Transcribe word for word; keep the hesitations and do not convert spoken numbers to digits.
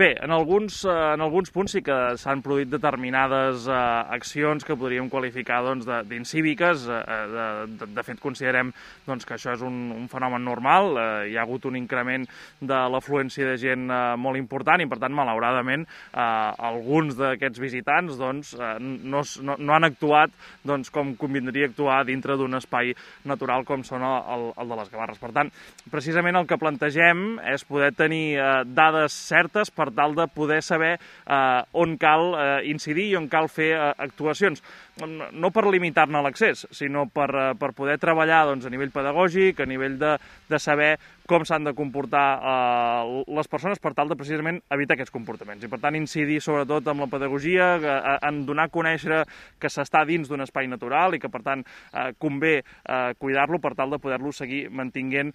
Bé, en alguns, en alguns punts sí que s'han produït determinades eh, accions que podríem qualificar doncs, d'incíviques. Eh, de, de, de fet, considerem doncs, que això és un, un fenomen normal. Eh, hi ha hagut un increment de l'afluència de gent eh, molt important i, per tant, malauradament, eh, alguns d'aquests visitants doncs, eh, no, no, no han actuat doncs, com convindria actuar dintre d'un espai natural com són el, el de les Gavarres. Per tant, precisament el que plantegem és poder tenir eh, dades certes per tal de poder saber eh, on cal eh, incidir i on cal fer eh, actuacions. No per limitar-ne l'accés, sinó per, eh, per poder treballar doncs, a nivell pedagògic, a nivell de, de saber com s'han de comportar eh, les persones per tal de precisament evitar aquests comportaments. I per tant incidir sobretot amb la pedagogia, eh, en donar a conèixer que s'està dins d'un espai natural i que per tant eh, convé eh, cuidar-lo per tal de poder-lo seguir mantinguent